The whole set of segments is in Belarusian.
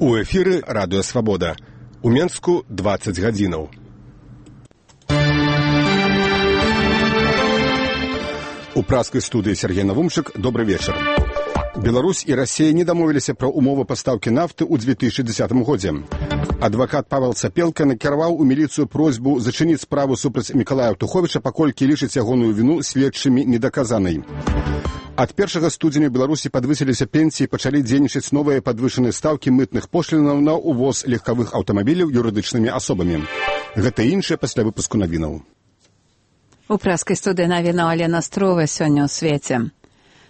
У эфіры радыё Свабода. У Менску 20 гадзінаў. У праскай студыі Сергей Навумчык. Добры вечар. Беларусь і Расія не дамовіліся пра умовы пастаўкі нафты ў 2010 годзе. Адвакат Павел Цапелка накіраваў у міліцыю просьбу зачыніць справу супраць Мікалая Туховіча, паколькі лічыць ягоную віну следчымі недаказанай. Ад 1 студзеня ў Беларусі падвысіліся пенсіі, пачалі дзейнічаць новыя падвышаныя стаўкі мытных пошлінаў на ўвоз легкавых аўтамабіляў юрыдычнымі асобамі. Гэта і іншае пасля выпуску навінаў. У праскай студыі навінаў Алена Строва сёння ў свеце.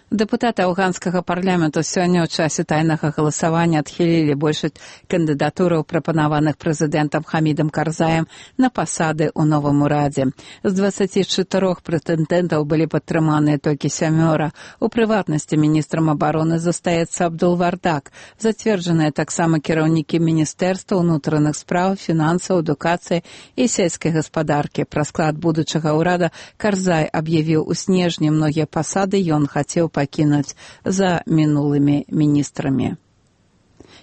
Дэпутаты афганскага парламенту сёння ў часе тайнага галасавання адхілілі большасць кандыдатураў, прапанаваных прэзідэнтам Хамідам Карзаем на пасады ў новым урадзе. З 24 прэтэндэнтаў былі падтрыманыя толькі 7. У прыватнасці міністрам абароны застаецца Абдул Вардак. Зацверджаныя таксама кіраўнікі міністэрства ўнутраных спраў, фінансаў, адукацыі і сельскай гаспадаркі. Пра склад будучага ўрада Карзай аб'явіў у снежні. Многія пасады ён хацеў пакінуць за мінулымі міністрамі.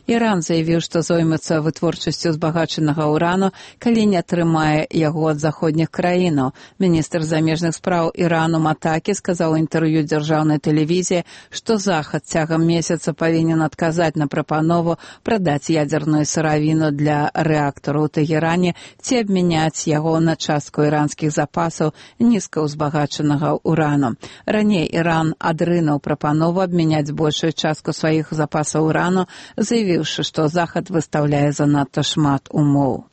Іран заявіў, што зоймецца вытворчасцю збагачанага ўрану, калі не атрымае яго ад заходніх краінаў. Міністр замежных спраў Ірану Матакі сказаў у інтэрв'ю дзяржаўнай тэлевізіі, што Захад цягам месяца павінен адказаць на прапанову прадаць ядзерную сыравіну для рэактару ў Тэгеране ці абмяняць яго на частку іранскіх запасаў нізкаўзбагачанага ўрану. Раней Іран адрынуў прапанову абмяняць большую частку сваіх запасаў урану, заявіў, што Захад выстаўляе занадта шмат умоў.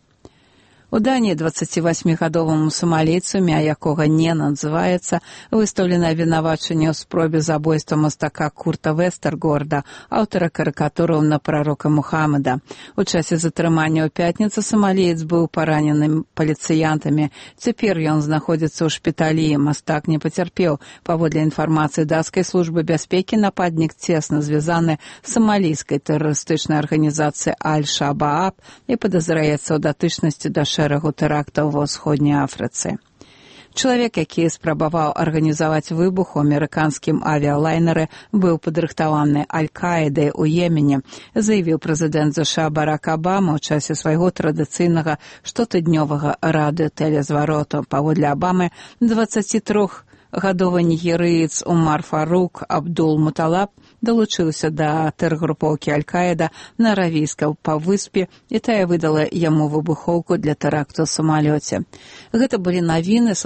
У Даніі 28-гадоваму сомалійцу, імя якога не называецца, выстаўлена абвінавачанне ў спробе забойства мастака Курта Вестергорда, аўтара карыкатураў на прарока Мухаммада. У часе затрымання ў пятніцу сомаліец быў паранены паліцыянтамі. Цяпер ён знаходзіцца ў шпіталі. Мастак не пацярпеў. Паводле інфармацыі дацкай службы бяспекі, нападнік цесна звязаны з сомалійскай тэрарыстычнай арганізацыяй Аль-Шабааб і падазраецца ў датычнасці да шэрагу тэрактаў ва ўсходняй Афрыцы. Чалавек, які спрабаваў арганізаваць выбух у амерыканскім авіялайнеры, быў падрыхтаваны Аль-Каідай у Йемене, заявіў прэзідэнт ЗША Барак Абама ў часе свайго традыцыйнага штотыднёвага радыётэлезвароту. Паводле Абамы, 23-гадовы нігерыец Умар Фарук Абдул-Муталаб далучыўся да тэргрупоўкі Аль-Каіда на Аравійскай паўвыспе, і тая выдала яму выбухоўку для тэракту ў самалёце. Гэта былі навіны.